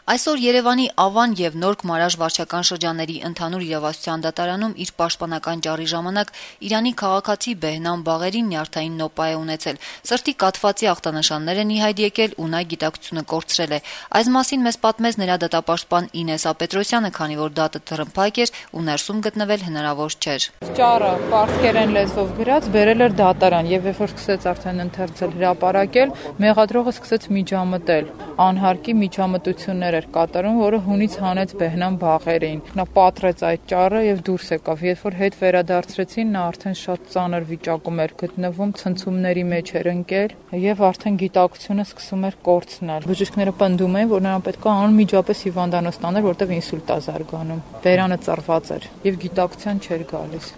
Այսօր Երևանի Ավան եւ Նորք Մարաժ վարչական շրջանների ընդհանուր իրավասության դատարանում իր պաշտպանական ճառի ժամանակ Իրանի քաղաքացի Բեհնամ Բաղերին նյարդային նոպա է ունեցել։ Սրտի կաթվածի ախտանշաններ են ի հայտ եկել ու նա գիտակցությունը կորցրել է։ Այս մասին մեզ պատմեց նրա դատապաշտպան Ինեսա Պետրոսյանը, քանի որ դատը թռմփակ էր ու ներսում գտնվել հնարավոր չէր։ Ճառը պարսկերեն լեզվով գրած բերել էր դատարան եւ երբ որ սկսեց արդեն ընթերցել հրապարակել, մեղադրողը սկսեց միջամտել։ Անհարկի միջամտություններ էր կատարում, որը հունից հանեց Բեհնամ Բաղերին։ Նա պատրեց այդ ճառը եւ դուրս եկավ։ Երբ որ հետ վերադարձրեցին, նա արդեն շատ ծանր վիճակում էր գտնվում, ցնցումների մեջ էր ընկել եւ արդեն գիտակցությունը սկսում էր կորցնել։ Բժիշկները պնդում էին, որ նրան պետք է անմիջապես հիվանդանոց տանել, որտեղ ինսուլտ է զարգանում։ Բերանը ծռված էր եւ գիտակցության չէր գալիս։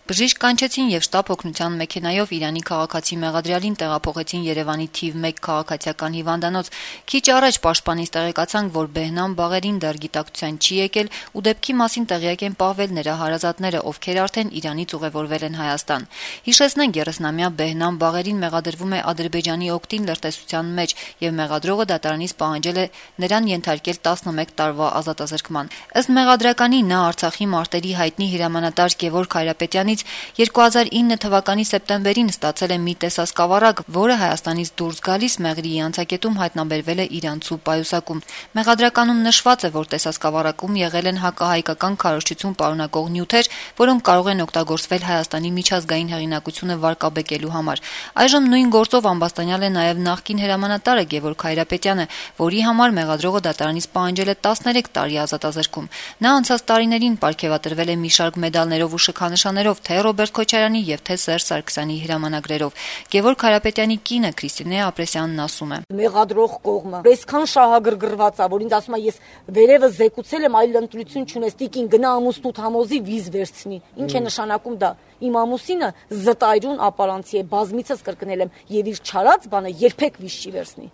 Բժիշկ կանչեցին եւ շտապ օգնության մեքենայով Իրանի քաղաքացի մեղադրյալին տեղափոխեցին Երևանի թիվ 1 քաղաքացիական հիվանդանոց։ Քիչ առաջ պաշտպանից տեղեկացանք, որ Բեհնամ Բաղերին դեռ գիտակցության չի եկել ու դեպքի մասին տեղյակ են պահվել նրա հարազատները, ովքեր արդեն Իրանից ուղևորվել են Հայաստան։ Հիշեցնենք, 30-ամյա Բեհնամ Բաղերին մեղադրվում է Ադրբեջանի օգտին լրտեսության մեջ եւ մեղադրողը դատարանից պահանջել է նրան ենթարկել 11 տարվա ազատազրկման։ Ըստ մեղադրականի նա Արցախի մարտերի հայտնի հրամանատար Գևորգ Հայրապետյանի 2009 թվականի սեպտեմբերին ստացել է մի տեսասկավառակ, որը Հայաստանից դուրս գալիս Մեղրիի անցակետում հայտնաբերվել է իրանցու պայուսակում։ Մեղադրականում նշված է, որ տեսասկավառակում եղել են հակահայկական քարոզչություն պարունակող նյութեր, որոնք կարող են օգտագործվել Հայաստանի միջազգային հեղինակությունը վարկաբեկելու համար։ Այժմ նույն գործով ամբաստանյալ է նաև նախկին հրամանատարը Գևորգ Հայրապետյանը, որի համար մեղադրողը դատարանից պահանջել է 13 տարի ազատազրկում։ Նա անցած տարիներին պարգևատրվել է մի շարք մեդալներով ու շքանշաններով թե Ռոբերտ Քոչարյանի եւ թե Սերժ Սարգսյանի հրամանագրերով։ Գևորգ Հայրապետյանի կինը Քրիստինե Ապրեսյանն ասում է. Մեղադրող կողմը այսքան շահագրգռված է, որ ինձ ասում է ես վերևը զեկուցել եմ, այլ ընտրություն չունես, տիկին գնա ամուսնուդ համոզի վիզ վերցնի։ Ինչ է նշանակում դա։ Իմ ամուսինը զտայրուն ապարանցի է, բազմիցս կրկնել եմ, եւ իր չարած բանը երբեք վիզ չի վերցնի։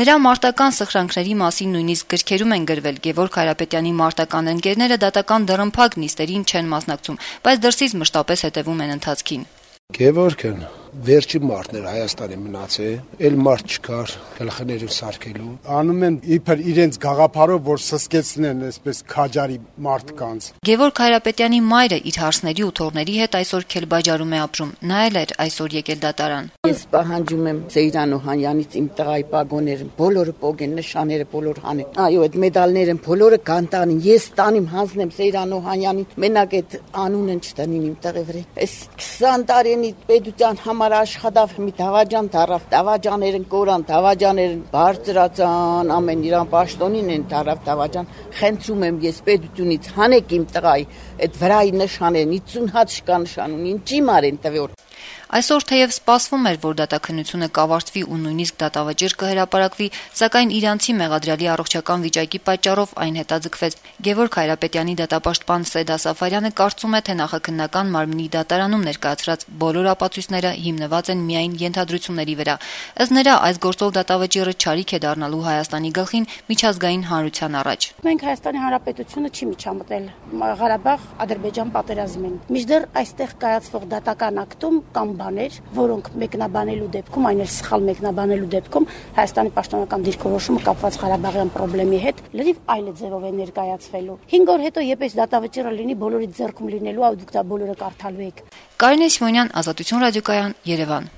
Նրա մարտական սխրանքների մասին նույնիսկ գրքերում են գրվել։ Գևորգ Հայրապետյանի մարտական ընկերները դատական դռնփակ նիստերին չեն մասնակցում, բայց դրսից մշտապես հետևում են ընթացքին։ Գևորգն վերջի մարտն էր Հայաստանի մնացել, էլ մարդ չկար գլխներում սարքելու։ Անում են իբր իրենց գաղափարով, որ սսկեցնեն այսպես քաջարի մարդկանց։ Գևորգ Հայրապետյանի մայրը իր հարսների ու թոռների հետ այսօր Քելբաջարում է ապրում։ Նա էլ էր այսօր եկել դատարան։ Ես պահանջում եմ Սեյրան Օհանյանից իմ տղայի պագոները, բոլորը պոգեն, նշանները բոլոր հանեն։ Այո, այդ մեդալները բոլորը կանտանին։ Ես տանիմ հանձնեմ Սեյրան Օհանյանին, մենակ այդ անունն չտնին իմ տղի վրա։ Այս 20 տարի պետության համար աշխատավ մի Դավաջան դարավ, Դավաջաներն կորան, Դավաջաներն բարձրացան, ամեն իրան պաշտոնին են դարավ Դավաջան։ Խնդրում եմ ես պետությունից հանեք իմ տղայի այդ վրայի նշանեն, 50 հատ շկա նշան ունի, ինչի մարեն տվոր։ Այսօր թեև սպասվում էր, որ դատաքննությունը կավարտվի ու նույնիսկ դատավճիռ կհրապարակվի, սակայն իրանցի մեղադրյալի առողջական վիճակի պատճառով այն հետաձգվեց։ Գևորգ Հայրապետյանի դատապաշտպան Սեդա Սաֆարյանը կարծում է, թե նախաքննական մարմնի դատարանում ներկայացրած բոլոր ապացույցները հիմնված են միայն ենթադրությունների վրա։ Ըստ նրա, այս գործով դատավճիռը չարիք է դառնալու Հայաստանի գլխին միջազգային հանրության առաջ։ Մենք Հայաստանի Հանրապետությունը չի միջամտել Ղարաբաղ-Ադրբեջան պատերազմին։ Մինչդեռ այստեղ կայացվող դատական ակտում կամ բաներ, որոնք մեկնաբանելու դեպքում, այն էլ սխալ մեկնաբանելու դեպքում Հայաստանի պաշտոնական դիրքորոշումը կապված Ղարաբաղյան խնդրի հետ լրիվ այլ ձևով է ներկայացվելու։ 5 օր հետո երբ այս դատավճիռը լինի, բոլորի ձեռքում լինելու, դուք դա բոլորը կարդալու եք։ Կարինե Սիմոնյան, Ազատություն ռադիոկայան, Երևան։